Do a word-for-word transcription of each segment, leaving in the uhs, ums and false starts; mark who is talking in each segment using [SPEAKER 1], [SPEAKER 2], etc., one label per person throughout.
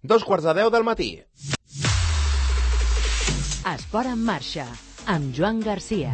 [SPEAKER 1] Dos quarts de deu del matí.
[SPEAKER 2] Esport en marxa, amb Joan Garcia.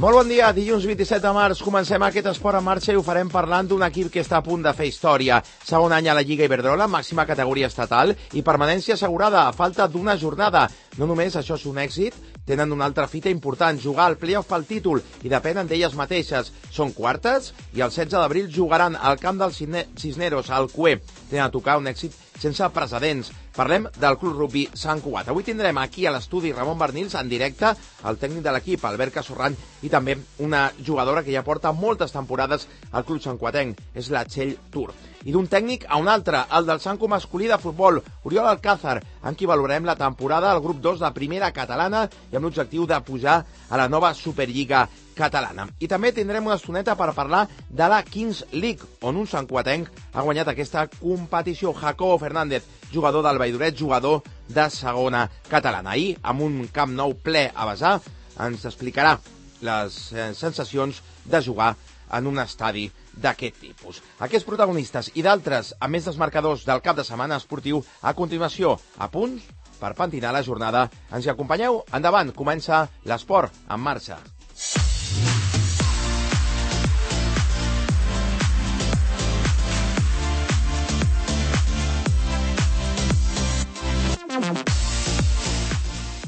[SPEAKER 1] Molt bon dia, dilluns vint-i-set de març, comencem aquest esport en marxa i ho farem parlant d'un equip que està a punt de fer història. Segon any a la Lliga Iberdrola, màxima categoria estatal i permanència assegurada a falta d'una jornada. No només això és un èxit, tenen una altra fita important, jugar al play-off pel títol i depenen d'elles mateixes. Són quartes i el setze d'abril jugaran al camp dels Cisneros, al Cué. Tenen a tocar un èxit sense precedents. Parlem del Club Rugby Sant Cugat. Avui tindrem aquí a l'estudi Ramon Barnils en directe, el tècnic de l'equip, Albert Casorran, i també una jugadora que ja porta moltes temporades al Club Santcuatenc, és la Txell Tur. I d'un tècnic a un altre, el del Sanco masculí de futbol, Oriol Alcázar, amb qui valorem la temporada al grup dos de primera catalana i amb l'objectiu de pujar a la nova Superliga catalana. I també tindrem una estoneta per parlar de la Kings League, on un santcuatenc ha guanyat aquesta competició. Jacobo Fernández, jugador del Valldoreix, jugador de segona catalana. Ahir, amb un camp nou ple a vessar, ens explicarà les sensacions de jugar en un estadi d'aquest tipus. Aquests protagonistes i d'altres, a més dels marcadors del cap de setmana esportiu, a continuació, a punts per pentinar la jornada. Ens hi acompanyeu? Endavant, comença l'esport en marxa.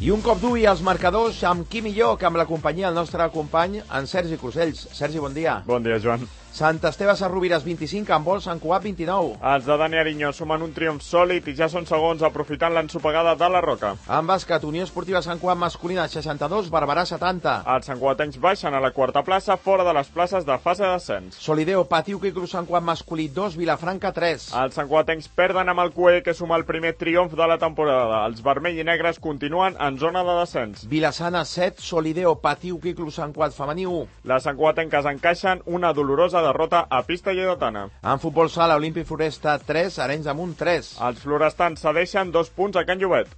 [SPEAKER 1] I un cop d'ull als marcadors, amb qui millor que amb la companyia del nostre company, en Sergi Crusells. Sergi, bon dia.
[SPEAKER 3] Bon dia, Joan.
[SPEAKER 1] Sant Esteve Sarrovires vint-i-cinc, en vol Sant Cugat vint-i-nou.
[SPEAKER 3] Els de Dani Ariño sumen un triomf sòlid i ja són segons aprofitant l'ensopegada de la Roca.
[SPEAKER 1] En bàsquet, Unió Esportiva Sant Cugat masculina seixanta-dos, Barberà setanta.
[SPEAKER 3] Els santcuatencs baixen a la quarta plaça, fora de les places de fase d'ascens.
[SPEAKER 1] Solideo, Patiuca i Club Sant Cugat masculí dos, Vilafranca tres.
[SPEAKER 3] Els santcuatencs perden amb el Cué, que suma el primer triomf de la temporada. Els vermell i negres continuen en zona de descens.
[SPEAKER 1] Vilassana set, Solideo, Patiuca i Club Sant Cugat femení u.
[SPEAKER 3] Les santcuatenques encaixen una dolorosa derrota a pista lleidatana.
[SPEAKER 1] En futbol sala, Olímpic Floresta tres, Arenys de Munt tres.
[SPEAKER 3] Els florestans cedeixen dos punts a Can Llobet.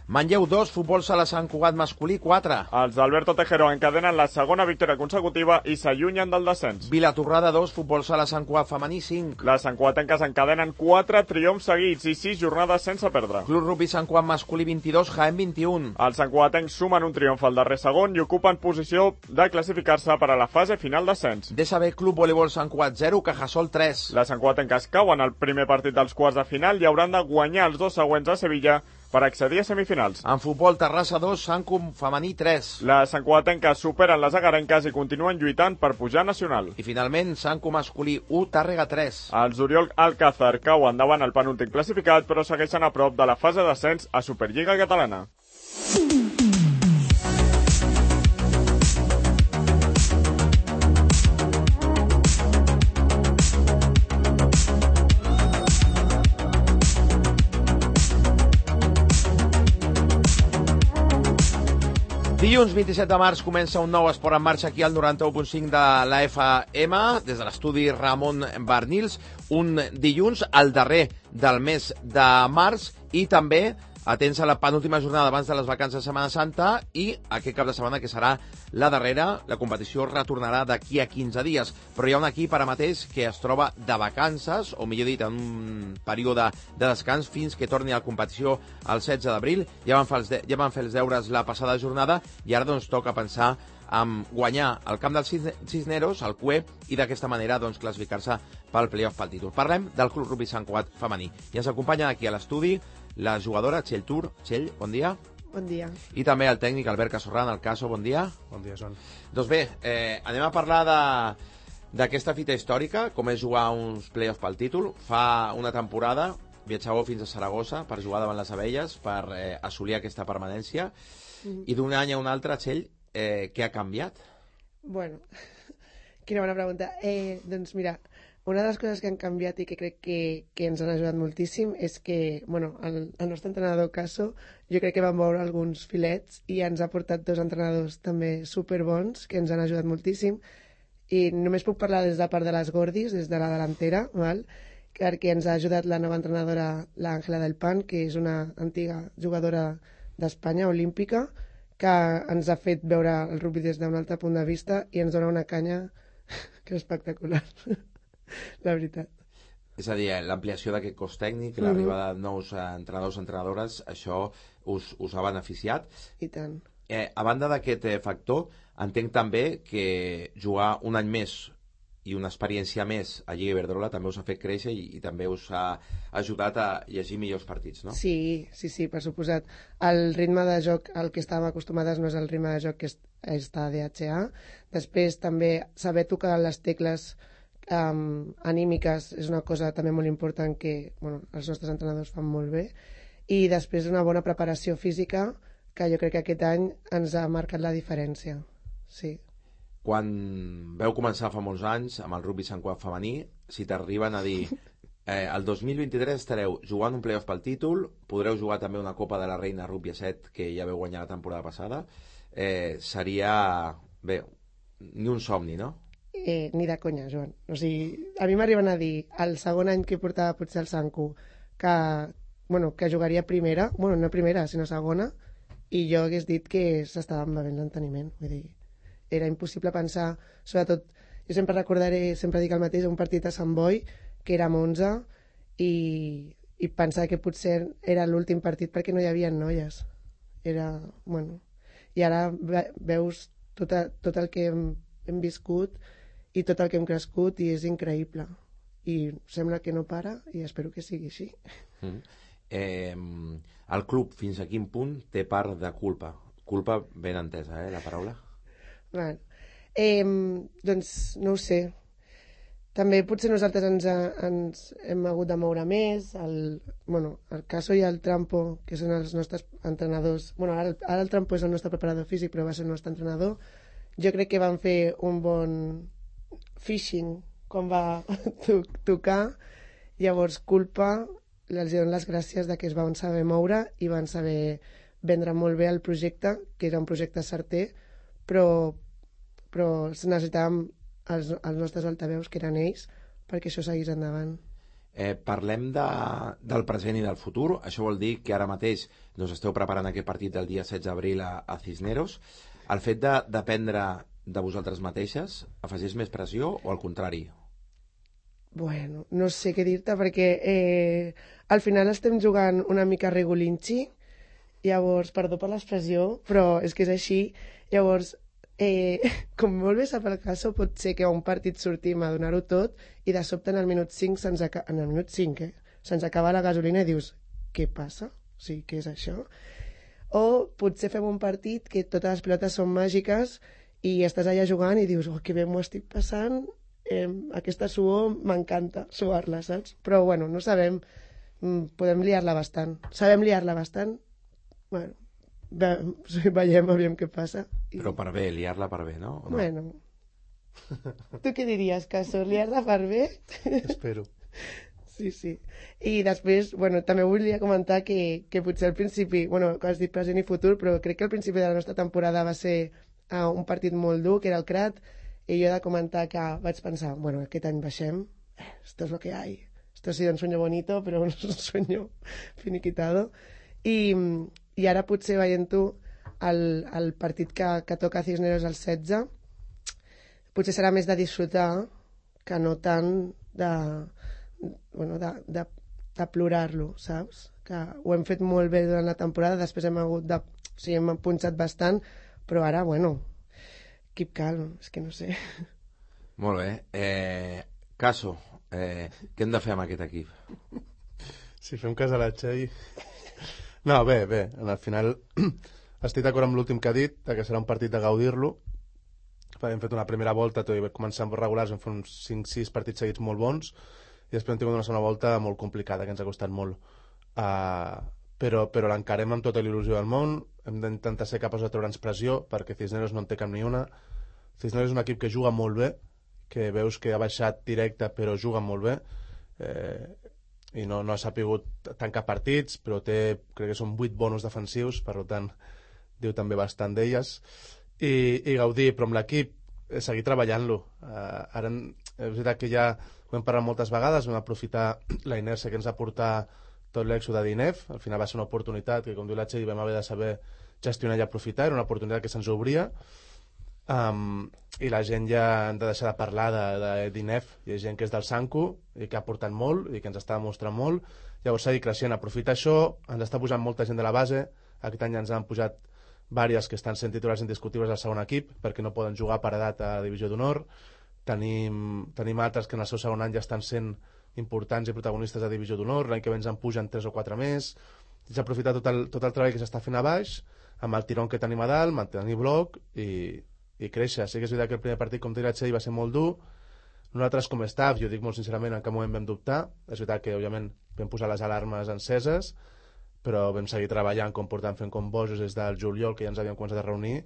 [SPEAKER 1] Manlleu dos, futbol sala Sant Cugat masculí quatre.
[SPEAKER 3] Els d'Alberto Tejero encadenen la segona victòria consecutiva i s'allunyen del descens.
[SPEAKER 1] Vilatorrada dos, futbol sala Sant Cugat femení cinc.
[SPEAKER 3] Les santcuatenques encadenen quatre triomfs seguits i sis jornades sense perdre.
[SPEAKER 1] Club Rugby Sant Cugat masculí vint-i-dos, Jaén vint-i-un.
[SPEAKER 3] Els santcuatencs sumen un triomf al darrer segon i ocupen posició de classificar-se per a la fase final d'ascens.
[SPEAKER 1] D S B Club Voleibol Sant Cugat zero, Cajasol tres.
[SPEAKER 3] Les santcuatenques cauen al primer partit dels quarts de final i hauran de guanyar els dos següents a Sevilla per accedir a semifinals.
[SPEAKER 1] En futbol, Terrassa dos, Santcum femení tres.
[SPEAKER 3] Les santcuatenques superen les agarenques i continuen lluitant per pujar nacional.
[SPEAKER 1] I finalment, Santcum masculí u, Tàrrega tres.
[SPEAKER 3] Els Oriol Alcázar cauen davant el penúltim classificat, però segueixen a prop de la fase d'ascens a Superliga Catalana.
[SPEAKER 1] Dilluns vint-i-set de març comença un nou esport en marxa aquí al noranta-u punt cinc de la F M, des de l'estudi Ramon Barnils, un dilluns al darrer del mes de març i també atents a la penúltima jornada abans de les vacances de Setmana Santa i aquest cap de setmana que serà la darrera. La competició retornarà d'aquí a quinze dies, però hi ha un equip ara mateix que es troba de vacances, o millor dit, en un període de descans fins que torni a la competició el setze d'abril. Ja van fer els, de, ja van fer els deures la passada jornada i ara doncs toca pensar en guanyar el camp dels Cisneros, el Cué, i d'aquesta manera doncs, classificar-se pel play-off pel títol. Parlem del Club Rugby Sant Cugat femení. I ens acompanya aquí a l'estudi la jugadora Txell Tur. Txell, bon dia.
[SPEAKER 4] Bon dia.
[SPEAKER 1] I també el tècnic Albert Casorran, el Caso, bon dia.
[SPEAKER 5] Bon dia, Joan.
[SPEAKER 1] Doncs bé, eh, anem a parlar de d'aquesta fita històrica, com és jugar uns play-offs pel títol. Fa una temporada viatjàveu fins a Saragossa per jugar davant les Abelles, per eh, assolir aquesta permanència, mm. i d'un any a un altre, Txell, eh, què ha canviat?
[SPEAKER 4] Bueno, quina bona pregunta. Eh, doncs mira, una de les coses que han canviat i que crec que, que ens han ajudat moltíssim és que, bueno, el, el nostre entrenador Caso, jo crec que vam veure alguns filets i ens ha portat dos entrenadors també superbons que ens han ajudat moltíssim, i només puc parlar des de la part de les Gordis, des de la delantera, val? perquè ens ha ajudat la nova entrenadora, l'Àngela del Pan, que és una antiga jugadora d'Espanya, olímpica, que ens ha fet veure el rugby des d'un altre punt de vista i ens dona una canya que és espectacular, la veritat.
[SPEAKER 1] És a dir, l'ampliació d'aquest cos tècnic, l'arribada de nous eh, entrenadors i entrenadores, això us, us ha beneficiat.
[SPEAKER 4] I tant.
[SPEAKER 1] Eh, a banda d'aquest eh, factor, entenc també que jugar un any més i una experiència més a Lliga Iberdrola també us ha fet créixer i, i també us ha ajudat a llegir millors partits, no?
[SPEAKER 4] Sí, sí, sí, per suposat. El ritme de joc al que estàvem acostumades no és el ritme de joc que està a D H A. Després també saber tocar les tecles Um, anímiques és una cosa també molt important que bueno, els nostres entrenadors fan molt bé, i després una bona preparació física que jo crec que aquest any ens ha marcat la diferència. Sí.
[SPEAKER 1] Quan veu començar fa molts anys amb el rugby Sant Cugat femení, si t'arriben a dir eh, el dos mil vint-i-tres estareu jugant un playoff pel títol, podreu jugar també una Copa de la Reina Rugby a set que ja veu guanyar la temporada passada, eh, seria bé, ni un somni, no?
[SPEAKER 4] Eh, ni de conya, Joan. O sigui, a mi m'arriben a dir el segon any que portava potser el Sancu que, bueno, que jugaria primera, bueno, no primera, sinó segona, i jo hagués dit que s'estava bevent l'enteniment. Vull dir, era impossible pensar, sobretot, jo sempre recordaré, sempre dic el mateix, un partit a Sant Boi, que érem onze, i, i pensar que potser era l'últim partit perquè no hi havia noies. Era, bueno... I ara veus tot, a, tot el que hem, hem viscut i tot el que hem crescut i és increïble i sembla que no para i espero que sigui així.
[SPEAKER 1] Mm. Eh, el club fins a quin punt té part de culpa? Culpa ben entesa, eh, la paraula?
[SPEAKER 4] Bueno, eh, doncs no ho sé, també potser nosaltres ens, ens hem hagut de moure més. El, bueno, el Caso i el Trampo, que són els nostres entrenadors, bueno, ara, ara el Trampo és el nostre preparador físic però va ser el nostre entrenador, jo crec que van fer un bon fishing quan va to tocar. Llavors culpa, els dono les gràcies de que es van saber moure i van saber vendre molt bé el projecte, que era un projecte certer, però, però necessitàvem els, els nostres altaveus, que eren ells, perquè això seguís endavant.
[SPEAKER 1] Eh, parlem de, del present i del futur. Això vol dir que ara mateix doncs, esteu preparant aquest partit del dia setze d'abril a, a Cisneros. El fet de dependre de vosaltres mateixes afegeix més pressió o al contrari?
[SPEAKER 4] Bueno, no sé què dir-te perquè eh, al final estem jugant una mica regulinxi, llavors, perdó per l'expressió, però és que és així. Llavors, eh, com molt bé sap el Caso, pot ser que a un partit sortim a donar-ho tot i de sobte en el minut cinc se'ns acaba, en el minut cinc, eh, se'ns acaba la gasolina i dius, què passa? O sigui, què és això? O potser fem un partit que totes les pilotes són màgiques i estàs allà jugant i dius, oh, que bé m'ho estic passant, eh, aquesta suor m'encanta, suar-la, saps? Però, bueno, no sabem, podem liar-la bastant. Sabem liar-la bastant? Bueno, ve, veiem, aviam què passa. I...
[SPEAKER 1] Però per bé, liar-la per bé, no? O no?
[SPEAKER 4] Bueno, tu què diries, Caso? Liar-la per bé?
[SPEAKER 5] Espero.
[SPEAKER 4] Sí, sí. I després, bueno, també volia comentar que, que potser al principi, bueno, que has dit present i futur, però crec que al principi de la nostra temporada va ser uh, un partit molt dur, que era el Crat, i jo he de comentar que vaig pensar, bueno, aquest any baixem, eh, esto es lo que hay, esto ha sido un sueño bonito, però no és un sueño finiquitado. I, i ara potser veient-ho, el, el partit que, que toca a Cisneros el setze, potser serà més de disfrutar que no tant de... bueno, de, de, de plorar-lo, saps? Que ho hem fet molt bé durant la temporada, després hem hagut de... O sigui, hem punxat bastant, però ara, bueno, keep calm, és que no sé.
[SPEAKER 1] Molt bé. Eh, Caso, eh, què hem de fer amb aquest equip?
[SPEAKER 5] Si fem cas a la Txell... No, bé, bé, al final estic d'acord amb l'últim que ha dit, que serà un partit de gaudir-lo. Hem fet una primera volta, tot i començar amb regulars, vam fer uns cinc sis partits seguits molt bons, i després hem tingut una segona volta molt complicada, que ens ha costat molt. Uh, però però l'encarem amb tota l'il·lusió del món, hem d'intentar ser capaços de treure'ns pressió, perquè Cisneros no en té cap ni una. Cisneros és un equip que juga molt bé, que veus que ha baixat directe, però juga molt bé, eh, i no, no ha sapigut tancar partits, però té, crec que són vuit bonus defensius, per tant, diu també bastant d'elles, i, i gaudir, però amb l'equip, seguir treballant-lo. Uh, ara és veritat que hi ha ho hem parlat moltes vegades, vam aprofitar la inèrcia que ens ha portat tot l'èxode d'I N E F, al final va ser una oportunitat que, com diu la Txell, vam haver de saber gestionar i aprofitar, era una oportunitat que se'ns obria, um, i la gent ja han de deixar de parlar de, de d'I N E F, hi ha gent que és del Sanku i que ha portat molt i que ens està demostrant molt, llavors seguir creixent, aprofitar això, ens està pujant molta gent de la base, aquest any ens han pujat vàries que estan sent titulars indiscutibles del segon equip perquè no poden jugar per edat a la divisió d'honor, tenim, tenim altres que en el seu segon any ja estan sent importants i protagonistes de divisió d'honor, l'any que ve ens en pugen tres o quatre més, és aprofitar tot el, tot el treball que s'està fent a baix, amb el tirón que tenim a dalt, mantenir bloc i, i créixer. Sí que és veritat que el primer partit, com t'he dit, va ser molt dur, nosaltres com a staff, jo dic molt sincerament, en cap moment vam dubtar, és veritat que òbviament vam posar les alarmes enceses, però vam seguir treballant com portant fent com bojos des del juliol, que ja ens havíem començat a reunir,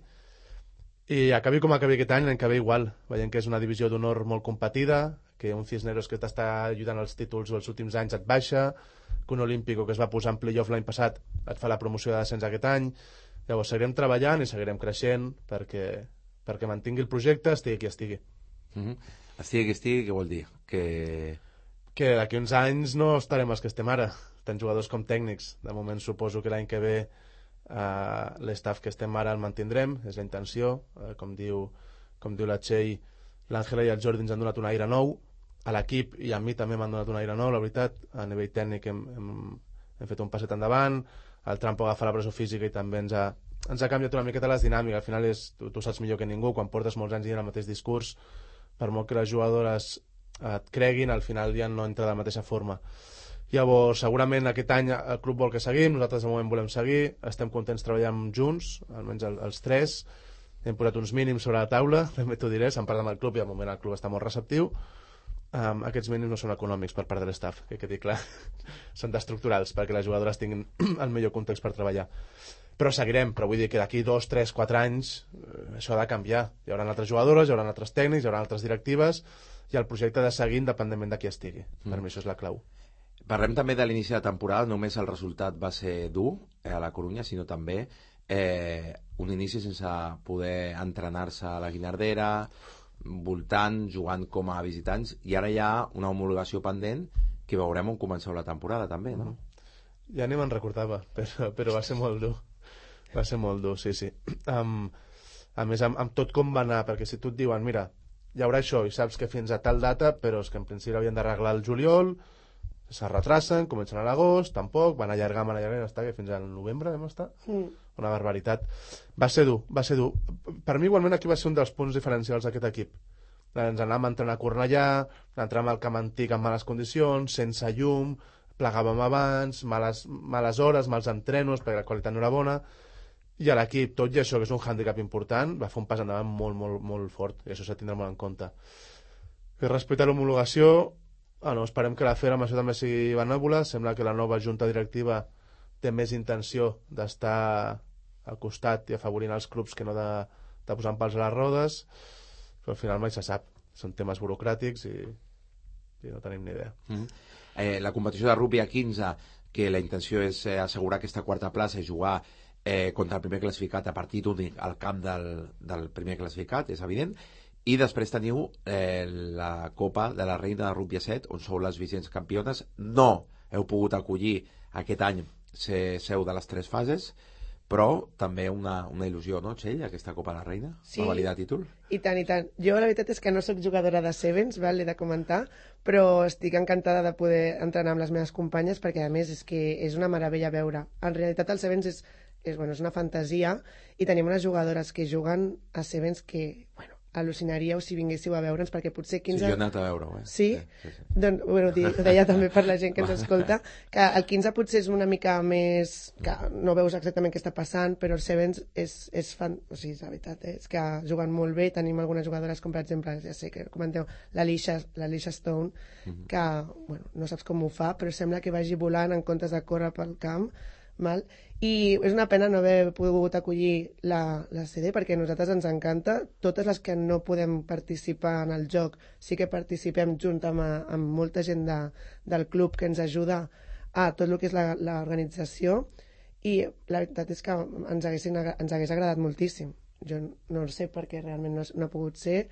[SPEAKER 5] i acabi com acabi aquest any, l'any que ve igual, veient que és una divisió d'honor molt competida, que un Cisneros que t'està ajudant als títols els últims anys et baixa, que un Olímpico que es va posar en playoff l'any passat et fa la promoció de descens aquest any. Llavors seguirem treballant i seguirem creixent perquè, perquè mantingui el projecte, estigui qui estigui.
[SPEAKER 1] Mm-hmm. Estigui qui estigui, què vol dir? Que,
[SPEAKER 5] que d'aquí uns anys no estarem els que estem ara, tant jugadors com tècnics. De moment suposo que l'any que ve uh, l'estaf que estem ara el mantindrem, és la intenció, uh, com diu, com diu la Txell, l'Àngela i el Jordi ens han donat un aire nou, a l'equip i a mi també m'han donat un aire nou, la veritat, a nivell tècnic hem, hem, hem fet un passet endavant, el Trampo agafa la presó física i també ens ha, ens ha canviat una miqueta les dinàmiques, al final és, tu, tu saps millor que ningú, quan portes molts anys dient el mateix discurs, per molt que les jugadores et creguin, al final ja no entra de la mateixa forma. Llavors, segurament aquest any el club vol que seguim, nosaltres de moment volem seguir, estem contents treballant junts, almenys el, els tres, hem posat uns mínims sobre la taula, també t'ho diré, se'n parla amb el club i al moment el club està molt receptiu. Um, aquests mínims no són econòmics per part de l'estaf, que quedi clar, són d'estructurals perquè les jugadores tinguin el millor context per treballar. Però seguirem, però vull dir que d'aquí dos, tres, quatre anys eh, això ha de canviar. Hi haurà altres jugadores, hi haurà altres tècnics, hi haurà altres directives i el projecte ha de seguir independentment de qui estigui. Mm. Per mi això és la clau.
[SPEAKER 1] Parlem també de l'inici de temporada, només el resultat va ser dur eh, a la Corunya, sinó també eh, un inici sense poder entrenar-se a la Guinardera, voltant, jugant com a visitants, i ara hi ha una homologació pendent que veurem on comenceu la temporada també, no?
[SPEAKER 5] Ja ni me'n recordava, però, però va ser molt dur, va ser molt dur, sí, sí. Um, a més, amb, amb tot com va anar, perquè si tu et diuen, mira, hi haurà això, i saps que fins a tal data, però és que en principi havien d'arreglar el juliol, se retracen, comencen a l'agost, tampoc, van allargar, van allargar, està, que fins al novembre vam estar, mm. una barbaritat. Va ser dur, va ser dur. Per mi igualment aquí va ser un dels punts diferencials d'aquest equip. Ens anàvem a entrenar a Cornellà, entràvem al camp antic en males condicions, sense llum, plegàvem abans, males, males hores, mals entrenos, perquè la qualitat no era bona, i a l'equip, tot i això, que és un hàndicap important, va fer un pas endavant molt, molt, molt fort, i això s'ha de tindre molt en compte. I respecte a l'homologació, ah, no, esperem que la F E R amb això també sigui benèvola. Sembla que la nova junta directiva té més intenció d'estar al costat i afavorint els clubs que no de, de posar pals a les rodes, però al final mai se sap, són temes burocràtics i, i no tenim ni idea.
[SPEAKER 1] Mm-hmm. eh, la competició de rugby a quinze, que la intenció és eh, assegurar aquesta quarta plaça i jugar eh, contra el primer classificat a partit únic al camp del, del primer classificat, és evident. I després teniu eh, la Copa de la Reina de Rugby a set, on sou les vigents campiones. No heu pogut acollir aquest any ser seu de les tres fases, però també una, una il·lusió, no, Txell, aquesta Copa de la Reina?
[SPEAKER 4] Sí,
[SPEAKER 1] va validar títol?
[SPEAKER 4] I tant, i tant. Jo la veritat és que no sóc jugadora de Sevens, val, he de comentar, però estic encantada de poder entrenar amb les meves companyes perquè, a més, és que és una meravella veure. En realitat, el Sevens és, és, bueno, és una fantasia i tenim unes jugadores que juguen a Sevens que, bueno, al·lucinaríeu si vinguéssiu a veure'ns, perquè potser quinze...
[SPEAKER 1] Sí, jo he anat a veure-ho, eh?
[SPEAKER 4] Sí?
[SPEAKER 1] Sí, sí, sí.
[SPEAKER 4] Doncs, bueno, ho deia també per la gent que ens escolta, que el quinze potser és una mica més... que no veus exactament què està passant, però el Sevens és, és fan... O sigui, la veritat, eh? És que juguen molt bé, tenim algunes jugadores com, per exemple, ja sé que comenteu, l'Alicia Stone, mm-hmm. que, bueno, no saps com ho fa, però sembla que vagi volant en comptes de córrer pel camp, mal. I és una pena no haver pogut acollir la, la C D perquè a nosaltres ens encanta. Totes les que no podem participar en el joc sí que participem junt amb, amb molta gent de, del club que ens ajuda a tot el que és l'organització, i la veritat és que ens, haguessin, ens hagués agradat moltíssim. Jo no sé perquè realment no, no ha pogut ser,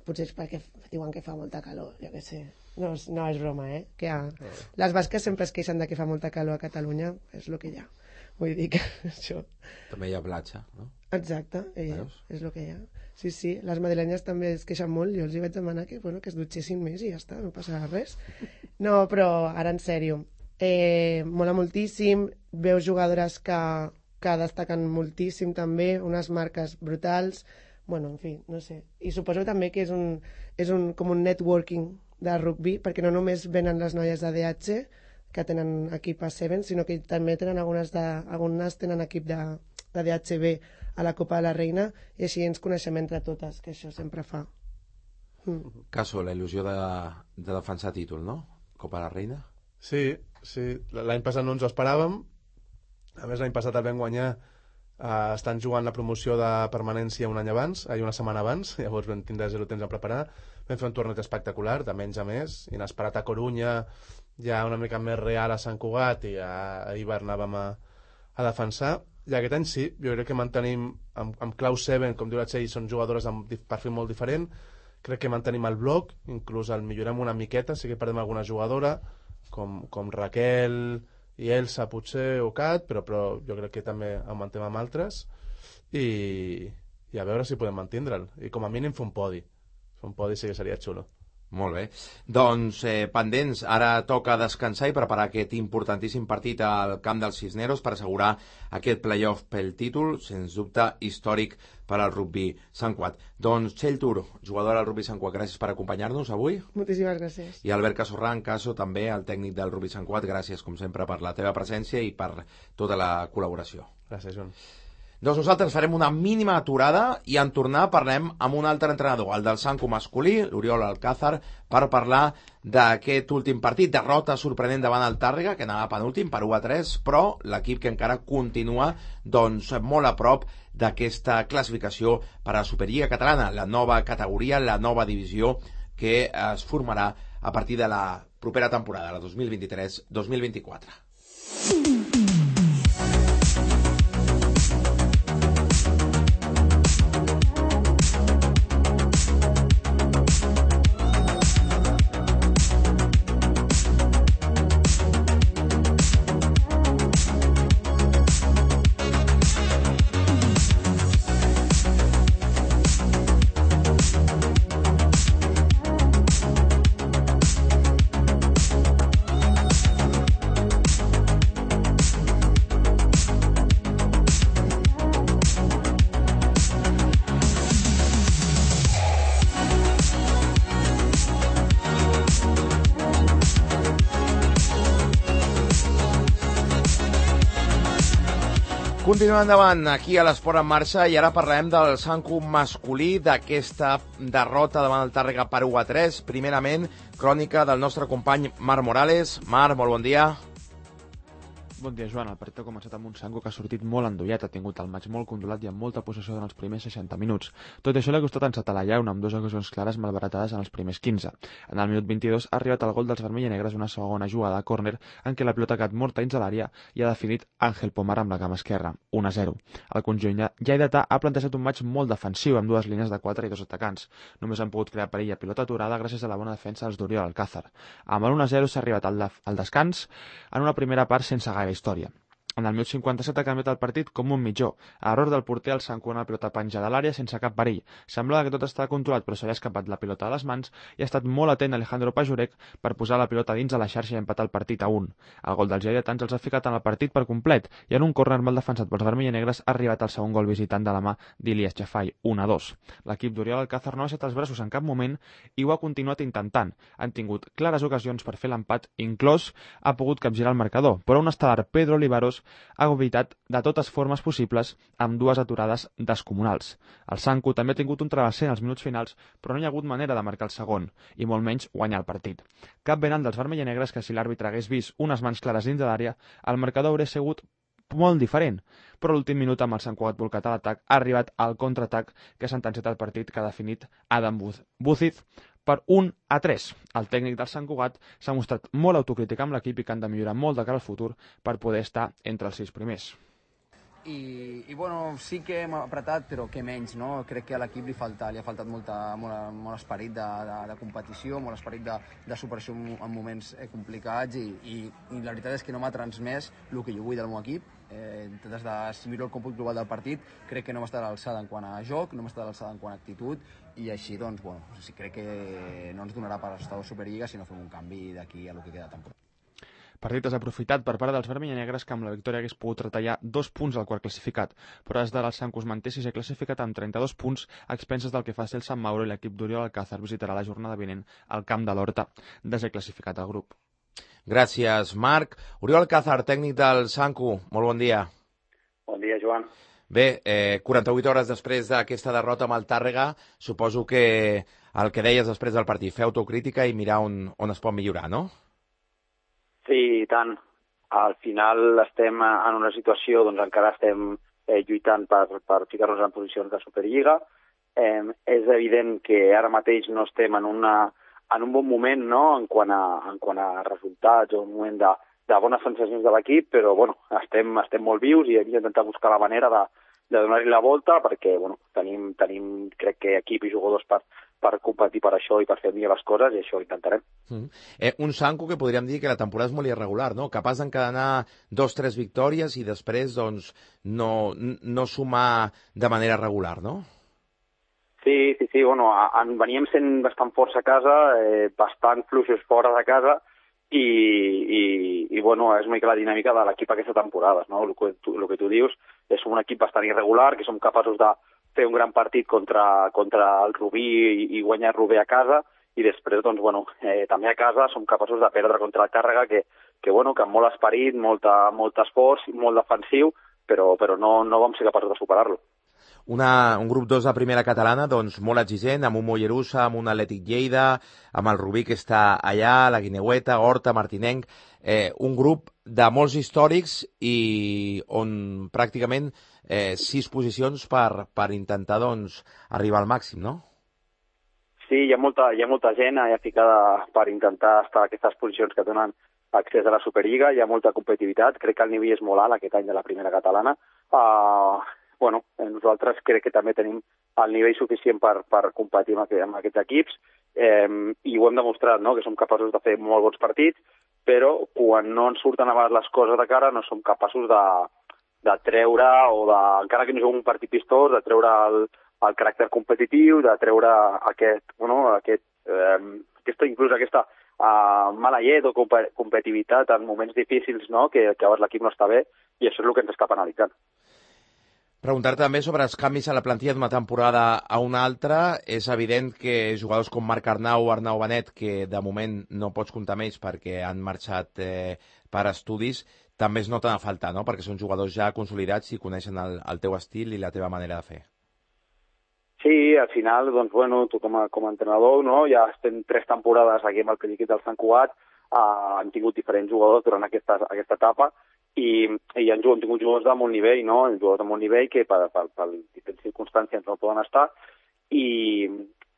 [SPEAKER 4] potser és perquè diuen que fa molta calor, jo què sé. No, no, és broma, eh? Que ha... Les basques sempre es queixen de que fa molta calor a Catalunya, és el que hi ha. Vull dir que això...
[SPEAKER 1] També hi ha platja, no?
[SPEAKER 4] Exacte, eh, és el que hi ha. Sí, sí, les madrilenyes també es queixen molt, jo els hi vaig demanar que, bueno, que es dutxessin més i ja està, no passarà res. No, però ara en sèrio, eh, mola moltíssim, veus jugadores que, que destaquen moltíssim també, unes marques brutals, bueno, en fi, no sé. I suposo també que és un, és un, com un networking de rugby, perquè no només venen les noies de D H, que tenen equip a Seven, sinó que també tenen algunes, de, algunes tenen equip de, de D H B a la Copa de la Reina, i així ens coneixem entre totes, que això sempre fa.
[SPEAKER 1] Mm. Caso, la il·lusió de, de defensar títol, no? Copa de la Reina?
[SPEAKER 5] Sí, sí. L'any passat no ens ho esperàvem. A més, l'any passat el vam guanyar Uh, estan jugant la promoció de permanència un any abans, eh, una setmana abans, llavors vam tindre zero temps a preparar, vam fer un torneig espectacular, de menys a més, inesperat a Corunya, ja una mica més real a Sant Cugat, i a, a Ibar anàvem a, a defensar, i aquest any sí, jo crec que mantenim amb, amb clau Seven, com diu la Txell, són jugadores amb perfil molt diferent, crec que mantenim el bloc, inclús el millorem una miqueta, sí que perdem alguna jugadora, com, com Raquel i Elsa potser o Cat, però, però jo crec que també augmentem amb altres i, i a veure si podem mantindre'l, i com a mínim fer un podi fer un podi sí que seria xulo.
[SPEAKER 1] Molt bé, doncs eh, pendents, ara toca descansar i preparar aquest importantíssim partit al camp dels Cisneros per assegurar aquest playoff pel títol, sens dubte històric per al rugby Sant Cugat. Doncs Txell Tur, jugadora del rugby Sant Cugat, gràcies per acompanyar-nos avui.
[SPEAKER 4] Moltíssimes gràcies.
[SPEAKER 1] I Albert Casorran, Caso, també el tècnic del rugby Sant Cugat, gràcies com sempre per la teva presència i per tota la col·laboració.
[SPEAKER 5] Gràcies, Joan.
[SPEAKER 1] Doncs nosaltres farem una mínima aturada i en tornar parlem amb un altre entrenador, el del Sanco masculí, l'Oriol Alcázar, per parlar d'aquest últim partit, derrota sorprenent davant el Tàrrega, que anava penúltim per u a tres, però l'equip que encara continua doncs, molt a prop d'aquesta classificació per a la Superliga Catalana, la nova categoria, la nova divisió que es formarà a partir de la propera temporada, la dos mil vint-i-tres dos mil vint-i-quatre. Continuem endavant aquí a l'Esport en Marxa i ara parlem del Sanco masculí, d'aquesta derrota davant el Tàrrega per u a tres. Primerament, crònica del nostre company Marc Morales. Marc, molt bon dia.
[SPEAKER 6] Bon dia, Joan. El partit ha començat amb un Sanco que ha sortit molt endollat, ha tingut el maig molt controlat i amb molta possessió en els primers seixanta minuts. Tot això l'ha costat encetar la llauna amb dues ocasions clares malbaratades en els primers quinze. En el minut vint-i-dos ha arribat el gol dels vermell i negres una segona jugada a córner en què la pilota ha quedat morta dins de l'àrea i ha definit Àngel Pomar amb la cama esquerra, un a zero. El conjunt lleidatà ha plantejat un maig molt defensiu amb dues línies de quatre i dos atacants. Només han pogut crear perill a pilota aturada gràcies a la bona defensa dels d'Oriol Alcázar. Amb el un a zero s'ha arribat al, al descans en una primera part sense gaire història. En el minut cinquanta-set ha canviat el partit com un mitjó. A error del porter, el Sanco una pilota penjada a l'àrea sense cap perill. Semblava que tot estava controlat, però se li ha escapat la pilota de les mans i ha estat molt atent Alejandro Pajurek per posar la pilota dins de la xarxa i empatar el partit a un. El gol dels lleidatans els ha ficat en el partit per complet i en un córner mal defensat pels vermell i negres ha arribat el segon gol visitant de la mà d'Ilias Chafai, un a dos. L'equip d'Oriol Alcázar no ha baixat els braços en cap moment i ho ha continuat intentant. Han tingut clares ocasions per fer l'empat, inclòs ha pogut capgirar el marcador, però un estel·lar Pedro Olivaros ha evitat de totes formes possibles amb dues aturades descomunals. El Sanco també ha tingut un travesser en els minuts finals, però no hi ha hagut manera de marcar el segon, i molt menys guanyar el partit. Cap venant dels vermell i negres que si l'àrbitre hagués vist unes mans clares dins de l'àrea, el marcador hauria sigut molt diferent, però l'últim minut amb el Sant Cugat volcat a l'atac ha arribat al contraatac que ha sentenciat el partit que ha definit Adam Buziz per un a tres. El tècnic del Sant Cugat s'ha mostrat molt autocrític amb l'equip i que han de millorar molt de cara al futur per poder estar entre els sis primers.
[SPEAKER 7] i, i bueno, sí que hem apretat, però que menys, no? Crec que a l'equip li, falta, li ha faltat molta, molt, molt esperit de, de, de competició, molt esperit de, de superació en, en moments eh, complicats i, i, i la veritat és que no m'ha transmès el que jo vull del meu equip. Eh, des de, si miro el còmput global del partit, crec que no m'està a l'alçada en quant a joc, no m'està a l'alçada en quant a actitud, i així, doncs, bueno, sí, crec que no ens donarà per estar a la Superliga si no fem un canvi d'aquí a lo que queda de temporada.
[SPEAKER 6] Partit desaprofitat per part dels vermell i negres que amb la victòria hagués pogut retallar dos punts al quart classificat, però des de el Sanco es manté sisè classificat amb trenta-dos punts a expenses del que faci el Sant Mauro, i l'equip d'Oriol Alcázar visitarà la jornada vinent al camp de l'Horta, desè classificat al grup.
[SPEAKER 1] Gràcies, Marc. Oriol Alcázar, tècnic del Sanco, molt bon dia.
[SPEAKER 8] Bon dia, Joan.
[SPEAKER 1] Bé, eh, quaranta-vuit hores després d'aquesta derrota amb el Tàrrega, suposo que el que deies després del partit, fer autocrítica i mirar on, on es pot millorar, no?
[SPEAKER 8] Sí, i tant. Al final estem en una situació, doncs encara estem eh, lluitant per, per ficar-nos en posicions de Superliga. Eh, és evident que ara mateix no estem en, una, en un bon moment, no?, en quant a, en quant a resultats o un moment de, de bones sensacions de l'equip, però bueno, estem, estem molt vius i hem d'intentar buscar la manera de, de donar-hi la volta perquè bueno, tenim, tenim, crec que equip i jugadors per, per competir per això i per fer millor les coses, i això ho intentarem.
[SPEAKER 1] Mm. Eh, un Sanco que podríem dir que la temporada és molt irregular, no? Capaç d'encadenar dos, tres victòries i després doncs, no, no sumar de manera regular, no?
[SPEAKER 8] Sí, sí, sí, bueno, en, veníem sent bastant forts a casa, eh, bastant fluixos fora de casa, i, i, i bueno, és una mica la dinàmica de l'equip aquesta temporada, no? El que, tu, el que tu dius és un equip bastant irregular, que som capaços de fer un gran partit contra, contra el Rubí i, i guanyar Rubí a casa, i després, doncs, bueno, eh, també a casa som capaços de perdre contra el Tàrrega, que, que, bueno, que amb molt esperit, molta, molt esforç, molt defensiu, però, però no, no vam ser capaços de superar-lo.
[SPEAKER 1] Una, un grup dos de primera catalana, doncs, molt exigent, amb un Mollerussa, amb un Atlètic Lleida, amb el Rubí que està allà, la Guineueta, Horta, Martinenc, eh, un grup de molts històrics i on pràcticament eh, sis posicions per, per intentar doncs, arribar al màxim, no?
[SPEAKER 8] Sí, hi ha molta, hi ha molta gent allà ficada per intentar estar a aquestes posicions que donen accés a la Superliga, hi ha molta competitivitat, crec que el nivell és molt alt aquest any de la primera catalana. Uh, bueno, nosaltres crec que també tenim el nivell suficient per, per competir amb, aquest, amb aquests equips, eh, i ho hem demostrat, no?, que som capaços de fer molt bons partits, però quan no ens surten a vegades les coses de cara no som capaços de, de treure, o de, encara que no juguem un partit vistós, de treure el, el caràcter competitiu, de treure aquest, bueno, aquest, eh, aquesta, inclús aquesta uh, mala llet o comp competitivitat en moments difícils, no?, que, que a vegades l'equip no està bé, i això és el que ens està penalitzant.
[SPEAKER 1] Preguntar també sobre els canvis a la plantilla d'una temporada a una altra. És evident que jugadors com Marc Arnau o Arnau Benet, que de moment no pots comptar amb ells perquè han marxat eh, per estudis, també es noten a faltar, no?, perquè són jugadors ja consolidats i coneixen el, el teu estil i la teva manera de fer.
[SPEAKER 8] Sí, al final, doncs, bueno, tu com a, com a entrenador, no?, ja estem tres temporades aquí amb el Pelliquit del Sant Cugat, uh, han tingut diferents jugadors durant aquesta, aquesta etapa, i, i han, han tingut jugadors de molt nivell, no?, jugadors de molt nivell que per, per, per diferents circumstàncies no poden estar, i,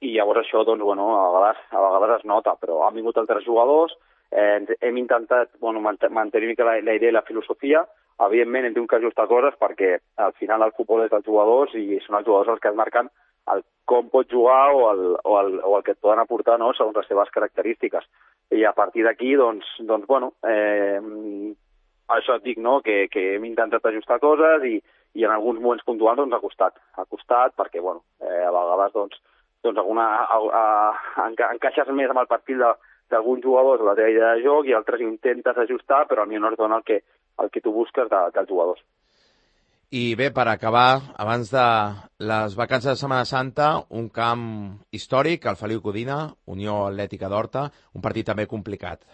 [SPEAKER 8] i llavors això, doncs, bueno, a vegades, a vegades es nota, però han vingut altres jugadors, eh, hem intentat, bueno, mantenir la, la idea i la filosofia. Evidentment hem tingut que ajustar coses perquè al final el futbol és dels jugadors i són els jugadors els que es marquen el com pot jugar o el, o el, o el que et poden aportar, no?, segons les seves característiques. I a partir d'aquí, doncs, doncs, bueno, eh, això et dic, no?, que, que hem intentat ajustar coses i, i en alguns moments puntuals doncs, ha costat. Ha costat perquè, bueno, eh, a vegades doncs, doncs alguna, a, a, a, encaixes més amb el perfil d'alguns jugadors o la teva idea de joc i altres intentes ajustar, però al millor no es dona el que, el que tu busques de, dels jugadors.
[SPEAKER 1] I bé, per acabar, abans de les vacances de Setmana Santa, un camp històric, el Feliu Codina, Unió Atlètica d'Horta, un partit també complicat.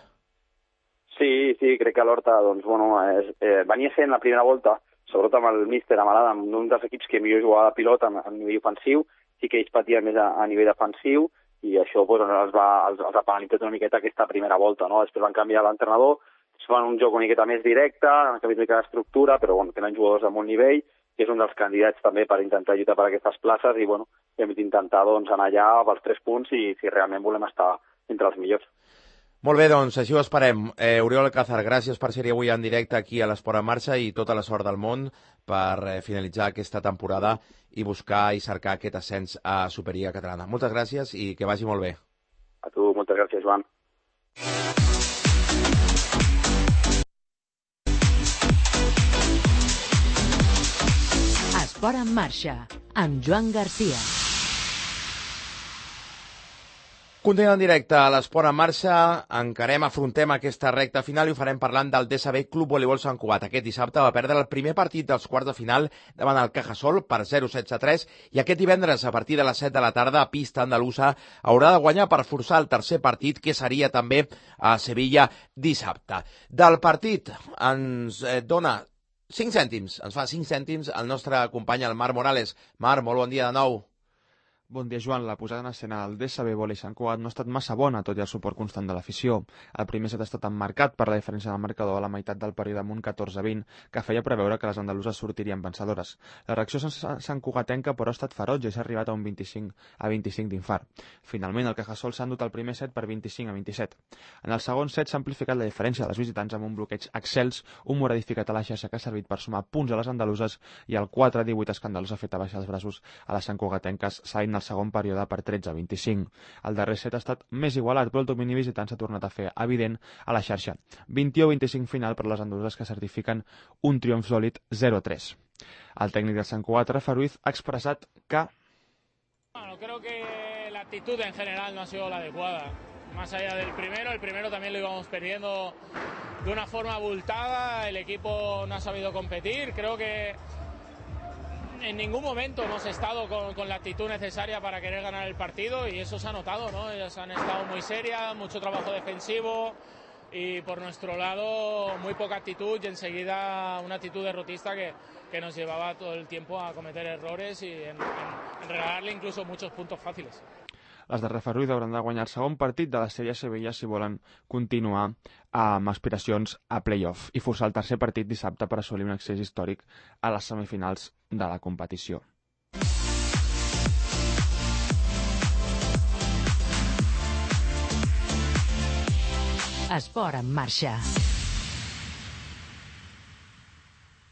[SPEAKER 8] Sí, sí, crec que l'Horta, doncs, bueno, és, eh, venia sent la primera volta, sobretot amb el míster Amalada, amb un dels equips que millor jugava de pilot a, a nivell ofensiu, sí que ells patien més a, a nivell defensiu, i això pues, els, va, els, els ha penalitzat una miqueta aquesta primera volta, no? Després van canviar l'entrenador, es fan un joc una miqueta més directe, han canviat una mica d'estructura, però bueno, tenen jugadors de molt nivell, que és un dels candidats també per intentar lluitar per aquestes places, i bueno, hem d'intentar doncs, anar allà pels tres punts i si realment volem estar entre els millors.
[SPEAKER 1] Molt bé, doncs, així ho esperem. Eh, Oriol Alcázar, gràcies per ser avui en directe aquí a l'Esport en Marxa i tota la sort del món per eh, finalitzar aquesta temporada i buscar i cercar aquest ascens a Superliga Catalana. Moltes gràcies i que vagi molt bé.
[SPEAKER 8] A tu, moltes gràcies, Joan.
[SPEAKER 2] Esport en Marxa, amb Joan Garcia.
[SPEAKER 1] Continuem en directe a l'Esport en Marxa, encarem, afrontem aquesta recta final i ho farem parlant del D S B Club Voleibol Sant Cugat. Aquest dissabte va perdre el primer partit dels quarts de final davant el Cajasol per zero setze a tres i aquest divendres a partir de les set de la tarda a pista andalusa haurà de guanyar per forçar el tercer partit que seria també a Sevilla dissabte. Del partit ens eh, dona cinc cèntims, ens fa cinc cèntims el nostre company el Marc Morales. Marc, molt bon dia de nou.
[SPEAKER 6] Bon dia, Joan. La posada en escena del D S B Volley Sant Cugat no ha estat massa bona, tot i el suport constant de l'afició. El primer set ha estat emmarcat per la diferència del marcador a la meitat del període amb un catorze a vint, que feia preveure que les andaluses sortirien vencedores. La reacció Sant Cugatenca, però, ha estat ferotge i s'ha arribat a un vint-i-cinc a vint-i-cinc d'infart. Finalment, el Cajasol s'ha endut el primer set per vint-i-cinc a vint-i-set. En el segon set s'ha amplificat la diferència dels visitants amb un bloqueig excels, un mur edificat a la xarxa que ha servit per sumar punts a les andaluses i el quatre a divuit escandalós ha fet abaixar els braços a les Sant Cugatenques, salint el segon període per tretze a vint-i-cinc. El darrer set ha estat més igualat, però el domini visitant s'ha tornat a fer evident a la xarxa. vint-i-u a vint-i-cinc final per les andaluses que certifiquen un triomf sòlid zero a tres. El tècnic del Sant Cugat, Rafa Ruiz, ha expressat que...
[SPEAKER 9] Bueno, creo que la actitud en general no ha sido la adecuada. Más allá del primero, el primero también lo íbamos perdiendo de una forma abultada, el equipo no ha sabido competir, creo que en ningún momento hemos estado con, con la actitud necesaria para querer ganar el partido y eso se ha notado, ¿no? Ellas han estado muy serias, mucho trabajo defensivo y por nuestro lado muy poca actitud y enseguida una actitud derrotista que, que nos llevaba todo el tiempo a cometer errores y en, en, en regalarle incluso muchos puntos fáciles.
[SPEAKER 6] Les de Rafa Ruiz hauran de guanyar el segon partit de la sèrie Sevilla si volen continuar amb aspiracions a play-off i forçar el tercer partit dissabte per assolir un accés històric a les semifinals de la competició.
[SPEAKER 2] Esport en Marxa.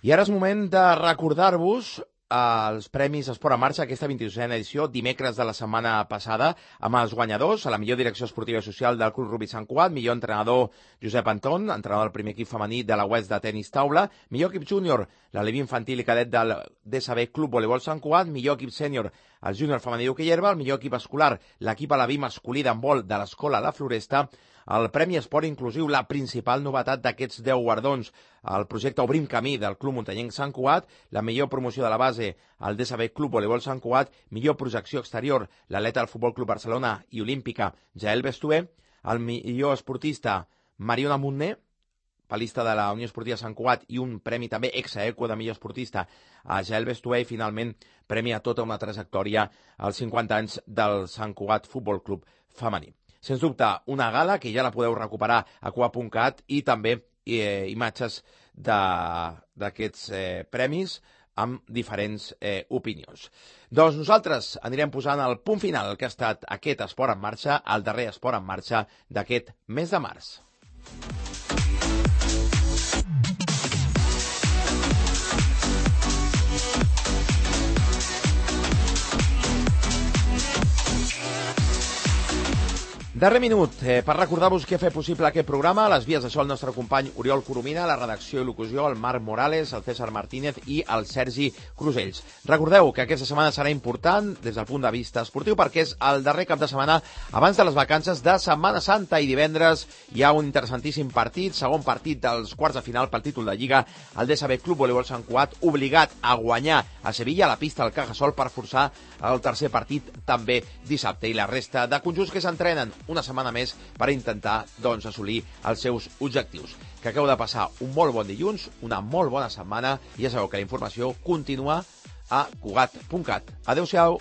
[SPEAKER 1] I ara és moment de recordar-vos els Premis Esport en Marxa, aquesta vint-i-dosena edició, dimecres de la setmana passada, amb els guanyadors, a la millor direcció esportiva i social del Club Rugby Sant Cugat, millor entrenador Josep Anton, entrenador del primer equip femení de la Oest de tenis taula, millor equip júnior, l'Alevi infantil i cadet del D S B Club Voleibol Sant Cugat, millor equip sènior, el júnior femení d'hoquei herba, el millor equip escolar, l'equip Alevi masculí d'handbol de l'Escola La Floresta, el Premi Esport Inclusiu, la principal novetat d'aquests deu guardons, el projecte Obrim Camí del Club Muntanyenc Sant Cugat, la millor promoció de la base, el D S B Club Voleibol Sant Cugat, millor projecció exterior, l'atleta del Futbol Club Barcelona i olímpica, Jael Bestué, el millor esportista, Mariona Montner, palista de la Unió Esportiva Sant Cugat i un premi també ex-aequo de millor esportista a Jael Bestué i finalment premi a tota una trajectòria als cinquanta anys del Sant Cugat Futbol Club femení. Sens dubte, una gala que ja la podeu recuperar a cua punt cat i també eh, imatges d'aquests eh, premis amb diferents eh, opinions. Doncs nosaltres anirem posant el punt final que ha estat aquest Esport en Marxa, el darrer Esport en Marxa d'aquest mes de març. Darrer minut, eh, per recordar-vos què ha fet possible aquest programa, a les vies de so el nostre company Oriol Coromina, la redacció i locució, el Marc Morales, el César Martínez i el Sergi Crusells. Recordeu que aquesta setmana serà important des del punt de vista esportiu perquè és el darrer cap de setmana abans de les vacances de Setmana Santa i divendres hi ha un interessantíssim partit, segon partit dels quarts de final pel títol de Lliga, el D S B Club Voleibol Sant Cugat obligat a guanyar a Sevilla a la pista del Cajasol per forçar el tercer partit també dissabte i la resta de conjunts que s'entrenen una setmana més per intentar doncs, assolir els seus objectius. Que acabeu de passar un molt bon dilluns, una molt bona setmana i ja sabeu que la informació continua a cugat punt cat. Adéu-siau.